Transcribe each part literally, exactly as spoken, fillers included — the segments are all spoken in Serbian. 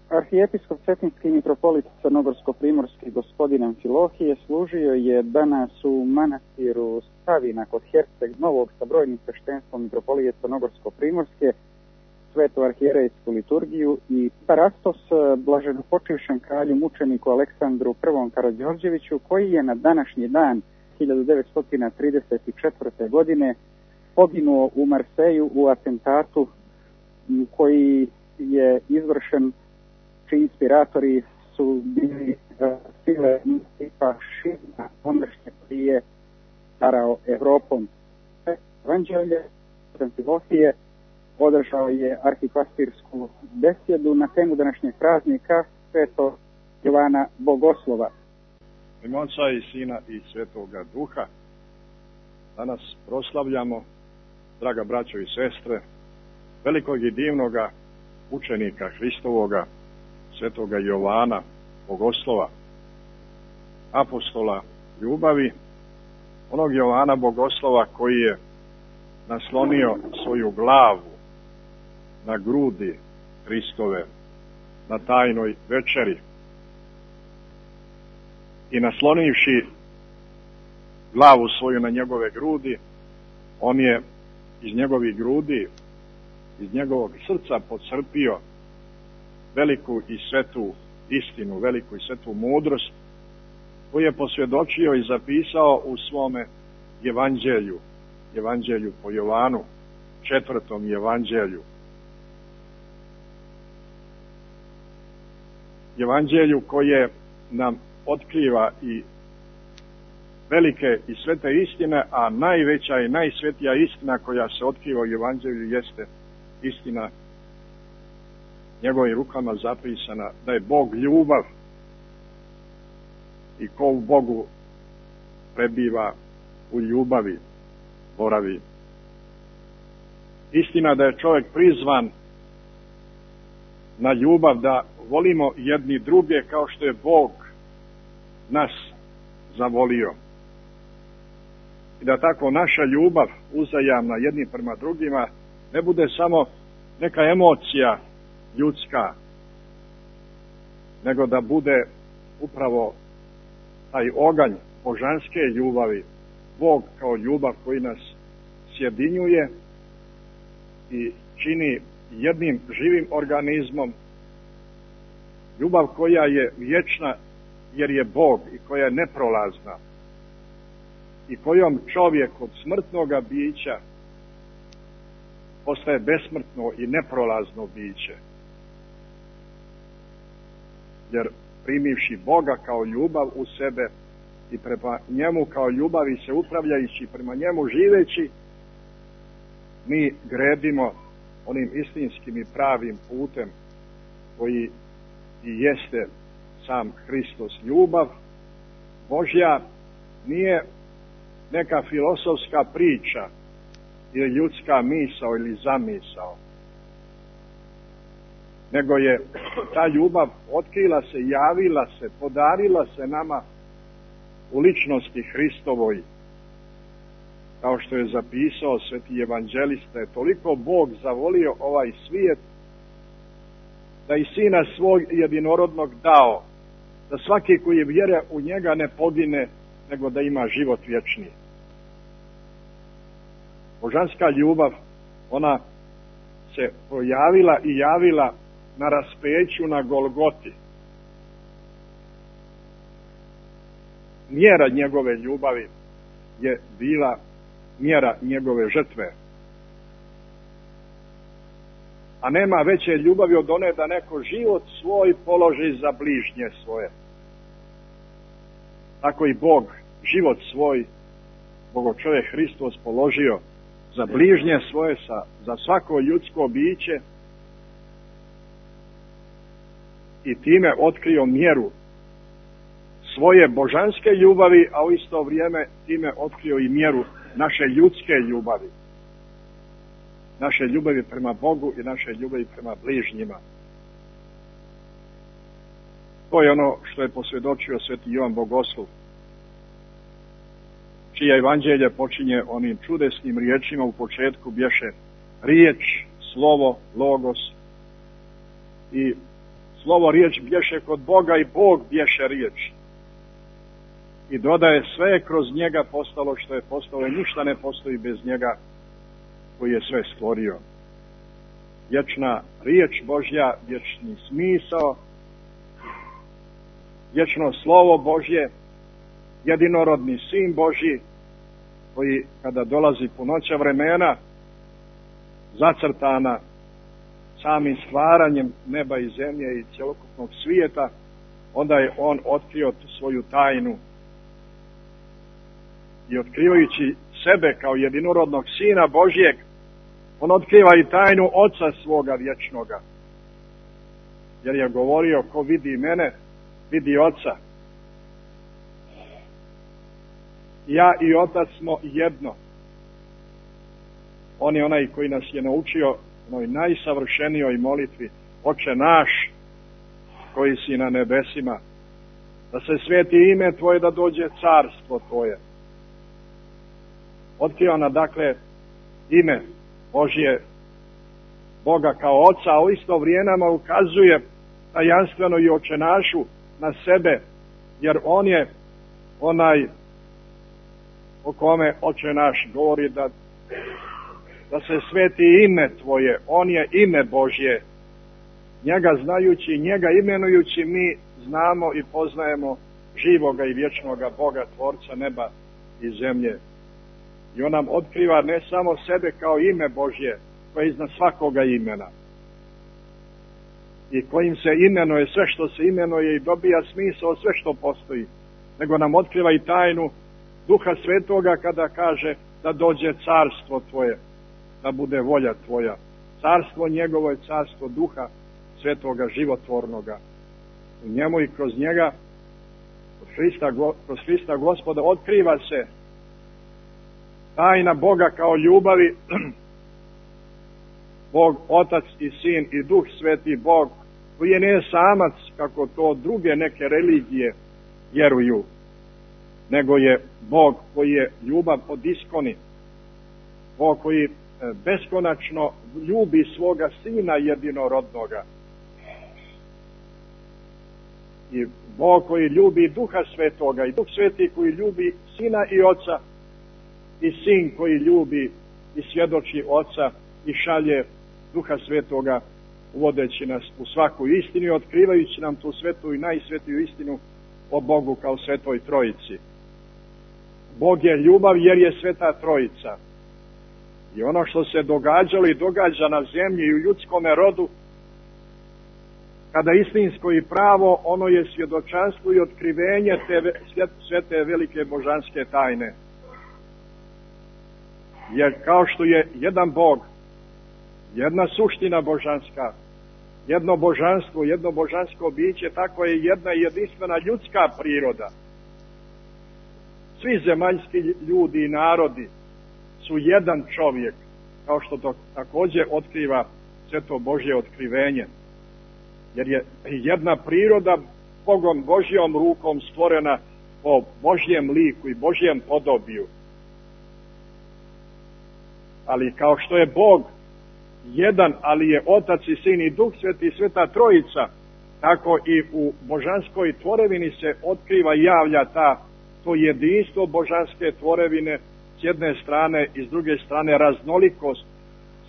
Arhijepiskop Cetinski mitropolit Crnogorsko-primorski gospodin Amfilohije služio je danas u manastiru Stavina kod Herceg Novog sa brojnim sveštenstvom mitropolije Crnogorsko-primorske, svetu arhijerejsku liturgiju i parastos blaženopočivšem kralju mučeniku Aleksandru I. Karađorđeviću, koji je na današnji dan hiljadu devetsto trideset četvrte. godine poginuo u Marseju u atentatu koji je izvršen, čiji inspiratori su bili uh, sile fašizma, ondašnje koji je starao Evropom. Evanđelje Amfilohije održao je arhipastirsku besjedu na temu današnjeg praznika Svetog Jovana Bogoslova. U ime Oca i Sina i Svetoga Duha danas proslavljamo, draga braćo i sestre, velikog i divnoga učenika Hristovoga, Svetoga Jovana Bogoslova, apostola ljubavi, onog Jovana Bogoslova koji je naslonio svoju glavu na grudi Hristove na tajnoj večeri i naslonivši glavu svoju na njegove grudi, on je iz njegovih grudi, iz njegovog srca pocrpio veliku i svetu istinu, veliku i svetu mudrost, koju je posvjedočio i zapisao u svome evanđelju, evanđelju po Jovanu, četvrtom evanđelju. Evanđelju koje nam otkriva i velike i svete istine, a najveća i najsvetija istina koja se otkriva u evanđelju jeste istina njegovim rukama zapisana, da je Bog ljubav i ko u Bogu prebiva, u ljubavi boravi. Istina da je čovjek prizvan na ljubav, da volimo jedni druge kao što je Bog nas zavolio. I da tako naša ljubav uzajamna jedni prema drugima ne bude samo neka emocija ljudska, nego da bude upravo taj oganj božanske ljubavi, Bog kao ljubav koji nas sjedinjuje i čini jednim živim organizmom, ljubav koja je vječna jer je Bog i koja je neprolazna i kojom čovjek od smrtnoga bića postaje besmrtno i neprolazno biće. Jer primivši Boga kao ljubav u sebe i prema njemu kao ljubav i se upravljajući prema njemu živeći, mi gredimo onim istinskim i pravim putem koji i jeste sam Hristos. Ljubav Božja nije neka filosofska priča ili ljudska misao ili zamisao, nego je ta ljubav otkrila se, javila se, podarila se nama u ličnosti Hristovoj. Kao što je zapisao sveti evanđelista, je toliko Bog zavolio ovaj svijet da i Sina svog jedinorodnog dao, da svaki koji vjeruje u njega ne pogine, nego da ima život vječni. Božanska ljubav, ona se projavila i javila na raspeću na Golgoti. Mjera njegove ljubavi je bila mjera njegove žrtve. A nema veće ljubavi od one da neko život svoj položi za bližnje svoje. Tako i Bog život svoj, Bogočovjek Hristos, položio za bližnje svoje, sa, za svako ljudsko biće i time otkrio mjeru svoje božanske ljubavi, a u isto vrijeme time otkrio i mjeru naše ljudske ljubavi. Naše ljubavi prema Bogu i naše ljubavi prema bližnjima. To je ono što je posvjedočio sveti Jovan Bogoslov, čija evanđelje počinje onim čudesnim riječima: u početku bješe riječ, slovo, logos, i slovo riječ bješe kod Boga i Bog bješe riječ. I dodaje sve je kroz njega postalo što je postalo i ništa ne postoji bez njega koji je sve stvorio. Vječna riječ Božja, vječni smisao, vječno slovo Božje, jedinorodni sin Božji, koji kada dolazi punoća vremena, zacrtana samim stvaranjem neba i zemlje i cjelokupnog svijeta, onda je on otkrio svoju tajnu. I otkrivajući sebe kao jedinorodnog sina Božjeg, on otkriva i tajnu Oca svoga vječnoga. Jer je govorio, ko vidi mene, vidi Oca. Ja i Otac smo jedno. On je onaj koji nas je naučio onoj najsavršenijoj molitvi: Oče naš koji si na nebesima, da se sveti ime Tvoje, da dođe carstvo Tvoje. Otkriva na dakle ime Božje, Boga kao Oca, a u isto vrijeme ukazuje tajanstveno i očenašu na sebe, jer on je onaj o kome Oče naš govori da, da se sveti ime Tvoje. On je ime Božje. Njega znajući, njega imenujući, mi znamo i poznajemo živoga i vječnoga Boga, Tvorca neba i zemlje. I on nam otkriva ne samo sebe kao ime Božje, koje je iznad svakoga imena, i kojim se imenuje sve što se imenuje i dobija smisao sve što postoji, nego nam otkriva i tajnu Duha Svetoga kada kaže da dođe carstvo Tvoje, da bude volja Tvoja. Carstvo njegovo je carstvo Duha Svetoga životvornoga. U njemu i kroz njega, kroz Hrista, kroz Hrista Gospoda, otkriva se tajna Boga kao ljubavi, Bog, Otac i Sin i Duh Sveti Bog, koji je ne samac, kako to druge neke religije vjeruju, nego je Bog koji je ljubav od iskoni, Bog koji beskonačno ljubi svoga Sina jedinorodnoga, i Bog koji ljubi Duha Svetoga, i Duh Sveti koji ljubi Sina i Oca, i Sin koji ljubi i svjedoči Oca i šalje Duha Svetoga, uvodeći nas u svaku istinu i otkrivajući nam tu svetu i najsvetiju istinu o Bogu kao Svetoj Trojici. Bog je ljubav jer je Sveta Trojica. I ono što se događalo i događa na zemlji i u ljudskome rodu, kada istinsko i pravo, ono je svjedočanstvo i otkrivenje te svete velike božanske tajne. Jer kao što je jedan Bog, jedna suština božanska, jedno božanstvo, jedno božansko biće, tako je jedna jedinstvena ljudska priroda. Svi zemaljski ljudi i narodi su jedan čovjek, kao što to također otkriva sveto Božje otkrivenje. Jer je jedna priroda Bogom Božjom rukom stvorena po Božjem liku i Božjem podobiju. Ali kao što je Bog jedan, ali je Otac i Sin i Duh Sveti i Sveta Trojica, tako i u božanskoj tvorevini se otkriva i javlja ta, to jedinstvo božanske tvorevine s jedne strane i s druge strane raznolikost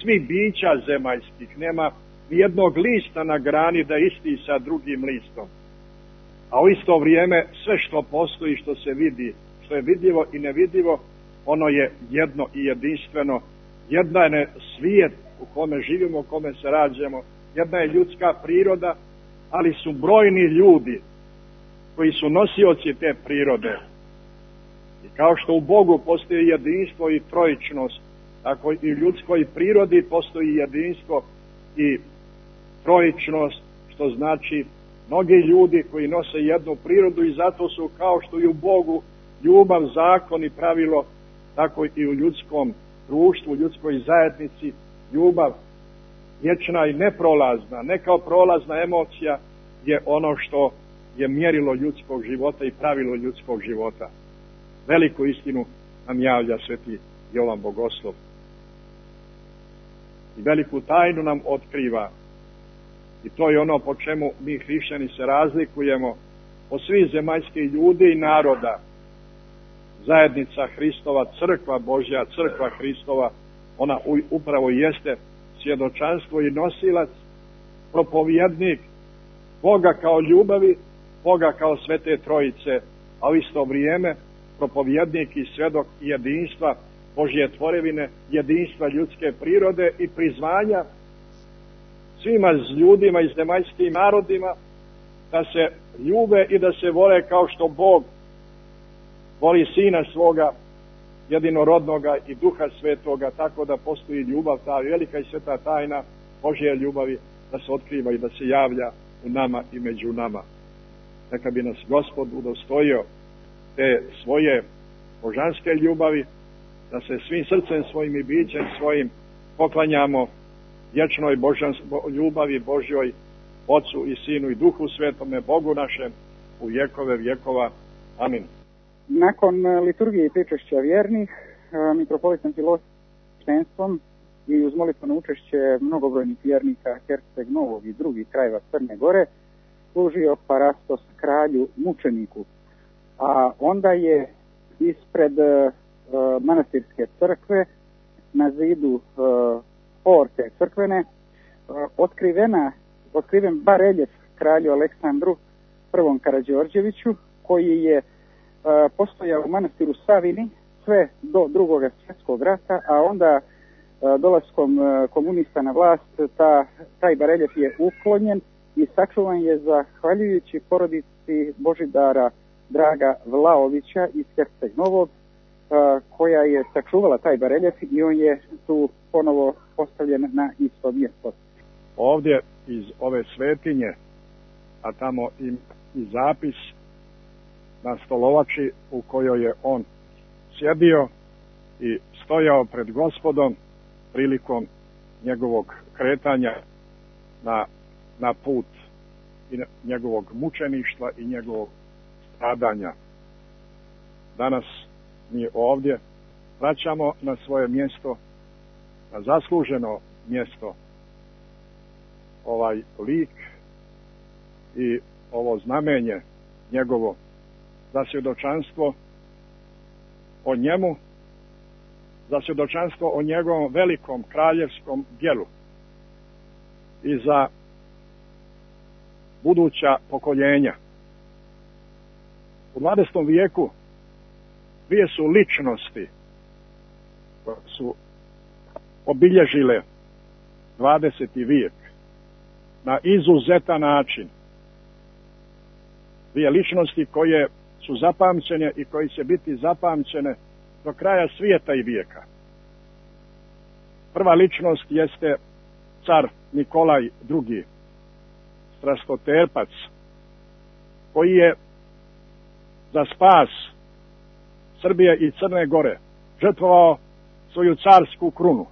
svih bića zemaljskih. Nema nijednog lista na grani da isti sa drugim listom. A u isto vrijeme sve što postoji, što se vidi, što je vidljivo i nevidljivo, ono je jedno i jedinstveno. Jedna je svijet u kome živimo, u kome se rađamo, jedna je ljudska priroda, ali su brojni ljudi koji su nosioci te prirode. I kao što u Bogu postoji jedinstvo i trojičnost, tako i u ljudskoj prirodi postoji jedinstvo i trojičnost, što znači mnogi ljudi koji nose jednu prirodu i zato su, kao što i u Bogu ljubav, zakon i pravilo, tako i u ljudskom društvu, u ljudskoj zajednici ljubav vječna i neprolazna, ne kao prolazna emocija, je ono što je mjerilo ljudskog života i pravilo ljudskog života. Veliku istinu nam javlja sveti Jovan Bogoslov. I veliku tajnu nam otkriva. I to je ono po čemu mi hrišćani se razlikujemo od svih zemaljskih ljudi i naroda. Zajednica Hristova, crkva Božja, crkva Hristova, ona upravo jeste svjedočanstvo i nosilac, propovjednik Boga kao ljubavi, Boga kao Svete Trojice, a u isto vrijeme propovjednik i svjedok jedinstva Božje tvorevine, jedinstva ljudske prirode i prizvanja svima ljudima i zemaljskim narodima da se ljube i da se vole kao što Bog voli Sina svoga jedinorodnoga i Duha Svetoga, tako da postoji ljubav, ta velika i sveta tajna Božje ljubavi, da se otkriva i da se javlja u nama i među nama. Neka bi nas Gospod udostojio te svoje božanske ljubavi, da se svim srcem svojim i bićem svojim poklanjamo vječnoj božanskoj ljubavi Božjoj, Otcu i Sinu i Duhu Svetome, Bogu našem, u vjekove vjekova. Amin. Nakon liturgije i pričešća vjernih, mitropolit Amfilohije sveštenstvom i uz molitveno učešće mnogobrojnih vjernika Herceg Novog i drugih krajeva Crne Gore služio parastos kralju mučeniku. A onda je ispred uh, manastirske crkve na zidu uh, porte crkvene uh, otkrivena, otkriven bareljef kralju Aleksandru prvom Karađorđeviću, koji je uh, postojao u manastiru Savini sve do drugog svjetskog rata, a onda uh, dolaskom uh, komunista na vlast ta, taj bareljef je uklonjen i sačuvan je zahvaljujući porodici Božidara Draga Vlaovića iz Herceg Novog, koja je sačuvala taj bareljef i on je tu ponovo postavljen na isto mjesto. Ovdje iz ove svetinje, a tamo i, i zapis na stolovači u kojoj je on sjedio i stojao pred Gospodom prilikom njegovog kretanja na, na put i njegovog mučeništva i njegovog stradanja. Danas mi ovdje vraćamo na svoje mjesto, na zasluženo mjesto, ovaj lik i ovo znamenje njegovo za svjedočanstvo o njemu, za svjedočanstvo o njegovom velikom kraljevskom djelu i za buduća pokoljenja. U dvadesetom vijeku dvije su ličnosti koje su obilježile dvadeseti vijek na izuzetan način. Dvije ličnosti koje su zapamćene i koje će biti zapamćene do kraja svijeta i vijeka. Prva ličnost jeste car Nikolaj drugi, strastoterpac, koji je za spas Srbije i Crne Gore žrtvovao svoju carsku krunu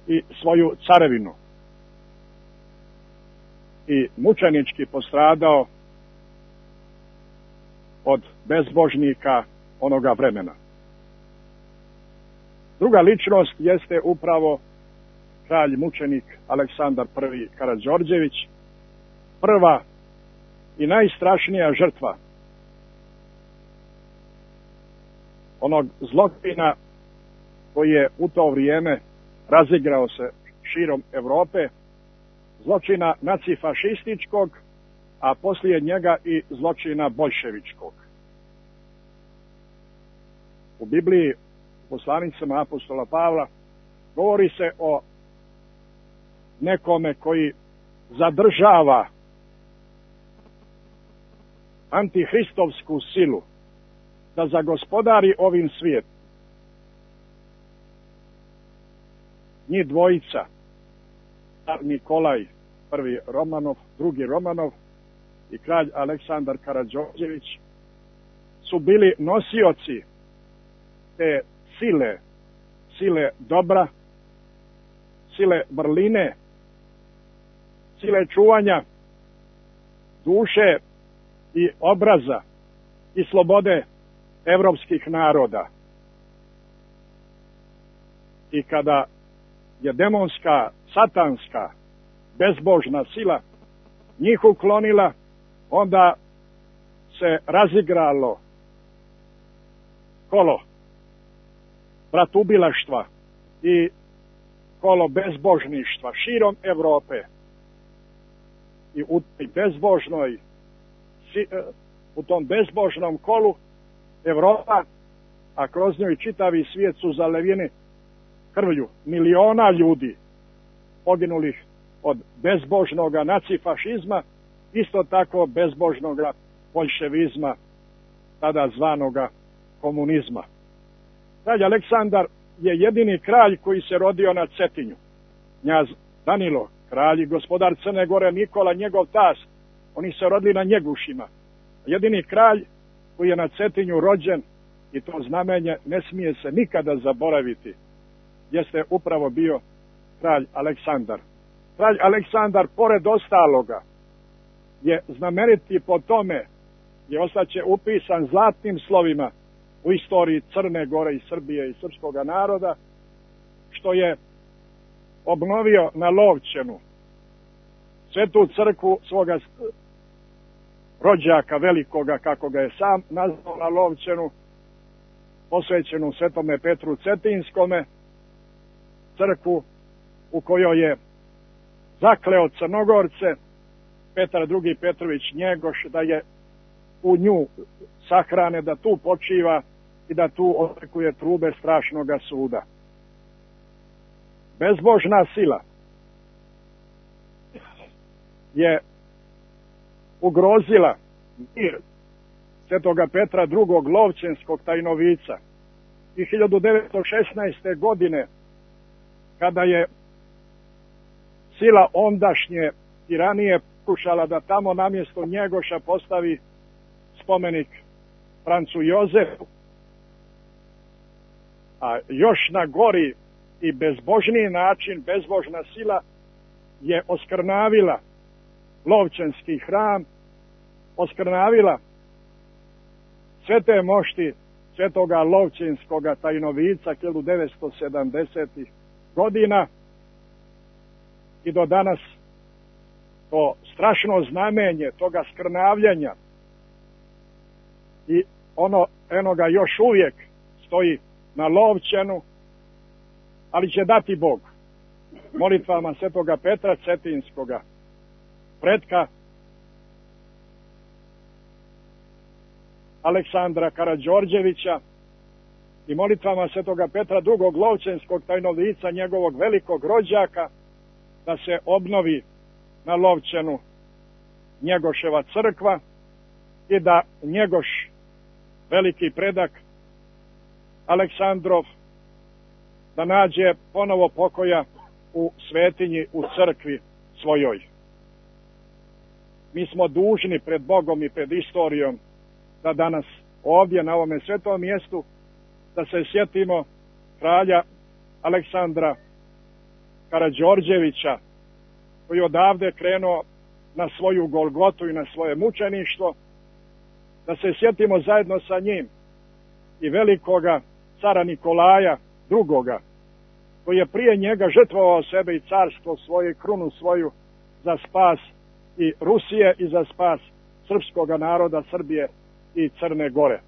i svoju carevinu i mučenički postradao od bezbožnika onoga vremena. Druga ličnost jeste upravo kralj mučenik Aleksandar prvi Karađorđević, prva i najstrašnija žrtva onog zločina koji je u to vrijeme razigrao se širom Europe, zločina nacifašističkog, a poslije njega i zločina boljševičkog. U Bibliji, u poslanicama apostola Pavla, govori se o nekome koji zadržava antihristovsku silu da zagospodari ovim svijetom. Njih dvojica, Nikolaj prvi Romanov, drugi Romanov i kralj Aleksandar Karađorđević, su bili nosioci te sile, sile dobra, sile vrline, sile čuvanja duše i obraza i slobode evropskih naroda. I kada je demonska, satanska bezbožna sila njih uklonila, onda se razigralo kolo bratubilaštva i kolo bezbožništva širom Evrope. I u bezbožnoj, u tom bezbožnom kolu Evropa, a kroz njoj čitavi svijet su zalevljeni krvlju miliona ljudi poginulih od bezbožnoga nacifašizma, isto tako bezbožnoga boljševizma, tada zvanoga komunizma. Kralj Aleksandar je jedini kralj koji se rodio na Cetinju. Knjaz Danilo, kralj i gospodar Crne Gore Nikola, njegov tast, oni se rodili na Njegušima. Jedini kralj koji je na Cetinju rođen, i to znamenje ne smije se nikada zaboraviti, jeste upravo bio kralj Aleksandar. Kralj Aleksandar, pored ostaloga, je znameniti po tome, je ostaće upisan zlatnim slovima u istoriji Crne Gore i Srbije i srpskog naroda, što je obnovio na Lovćenu svetu crkvu svoga rođaka velikoga, kako ga je sam nazvao, na Lovćenu, posvećenu Svetome Petru Cetinskome, crkvu u kojoj je zakleo Crnogorce Petar drugi Petrović Njegoš da je u nju sahrane, da tu počiva i da tu očekuje trube strašnoga suda. Bezbožna sila je ugrozila mir Svetoga Petra drugog Lovćenskog tajnovica i hiljadu devetsto šesnaeste. godine, kada je sila ondašnje tiranije pokušala da tamo namjesto Njegoša postavi spomenik Francu Jozefu, a još na gori i bezbožniji način bezbožna sila je oskrnavila Lovćenski hram, oskrnavila svete mošti Svetoga Lovćenskoga tajnovica hiljadu devetsto sedamdesetih. godina i do danas to strašno znamenje toga skrnavljanja i ono enoga još uvijek stoji na Lovćenu, ali će dati Bog molitvama Svetoga Petra Cetinskoga, pretka Aleksandra Karađorđevića, i molitvama Svetoga Petra drugog Lovćenskog tajnovica, njegovog velikog rođaka, da se obnovi na Lovćenu Njegoševa crkva i da Njegoš, veliki predak Aleksandrov, da nađe ponovo pokoja u svetinji, u crkvi svojoj. Mi smo dužni pred Bogom i pred istorijom da danas ovdje na ovome svetom mjestu da se sjetimo kralja Aleksandra Karađorđevića, koji je odavde krenuo na svoju Golgotu i na svoje mučeništvo, da se sjetimo zajedno sa njim i velikoga cara Nikolaja drugoga, koji je prije njega žrtvovao sebe i carstvo svoje, krunu svoju, za spas i Rusije i za spas srpskoga naroda, Srbije i Crne Gore.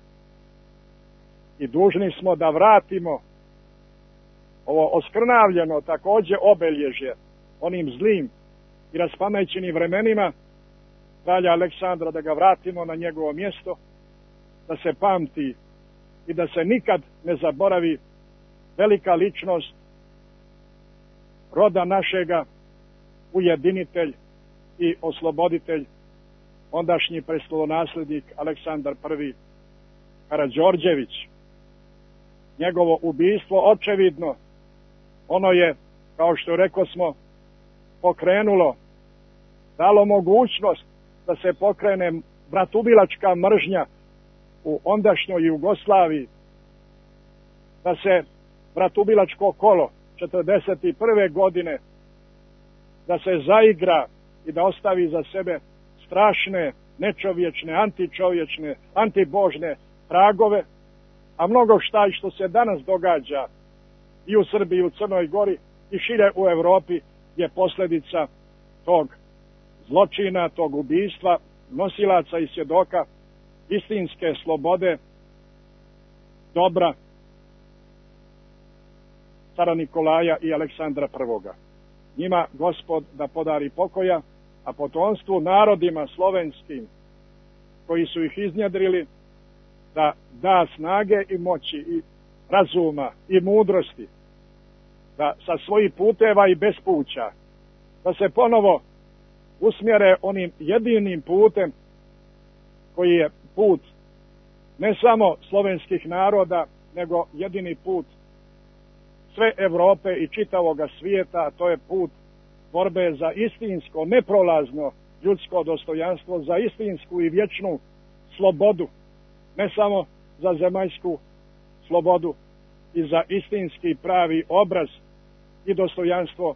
I dužni smo da vratimo ovo oskrnavljeno također obilježje onim zlim i raspamećenim vremenima kralja Aleksandra, da ga vratimo na njegovo mjesto, da se pamti i da se nikad ne zaboravi velika ličnost roda našega, ujedinitelj i osloboditelj, ondašnji prestolonaslednik Aleksandar prvi Karađorđević. Njegovo ubistvo očevidno, ono je, kao što rekao smo, pokrenulo, dalo mogućnost da se pokrene bratubilačka mržnja u ondašnjoj Jugoslaviji, da se bratubilačko kolo četrdeset prve. godine da se zaigra i da ostavi za sebe strašne, nečovječne, antičovječne, antibožne tragove, a mnogo šta i što se danas događa i u Srbiji, i u Crnoj Gori i šire u Europi je posljedica tog zločina, tog ubistva, nosilaca i svjedoka istinske slobode, dobra cara Nikolaja i Aleksandra Prvoga. Njima Gospod da podari pokoja, a potomstvu narodima slovenskim koji su ih iznjedrili da da snage i moći i razuma i mudrosti, da sa svojih puteva i bespuća da se ponovo usmjere onim jedinim putem koji je put ne samo slovenskih naroda, nego jedini put sve Europe i čitavoga svijeta, a to je put borbe za istinsko, neprolazno ljudsko dostojanstvo, za istinsku i vječnu slobodu, ne samo za zemaljsku slobodu i za istinski pravi obraz i dostojanstvo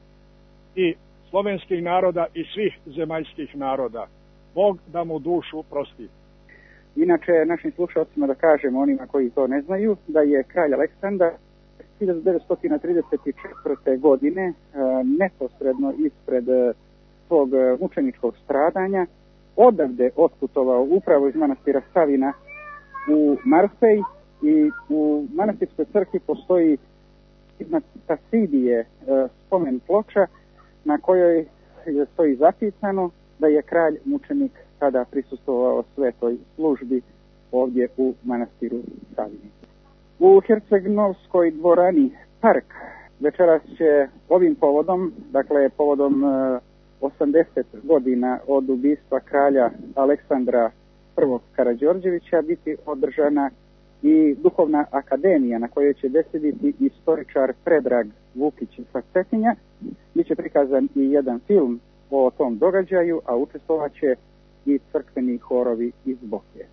i slovenskih naroda i svih zemaljskih naroda. Bog da mu dušu prosti. Inače, našim slušalcima da kažemo, onima koji to ne znaju, da je kralj Aleksandar hiljadu devetsto trideset četvrte. godine neposredno ispred svog mučeničkog stradanja odavde otputovao upravo iz manastira Savina u Marfej i u manastirskoj crkvi postoji iznad Tasidije spomen ploča na kojoj stoji zapisano da je kralj mučenik tada prisustvovao svetoj službi ovdje u manastiru Savini. U Herceg-Novskoj dvorani Park večeras će ovim povodom, dakle povodom osamdeset godina od ubistva kralja Aleksandra Prvog Karađorđevića biti održana i duhovna akademija na kojoj će besediti istoričar Predrag Vukić sa Cetinja. Biće prikazan i jedan film o tom događaju, a učestvovat će i crkveni horovi iz Boke.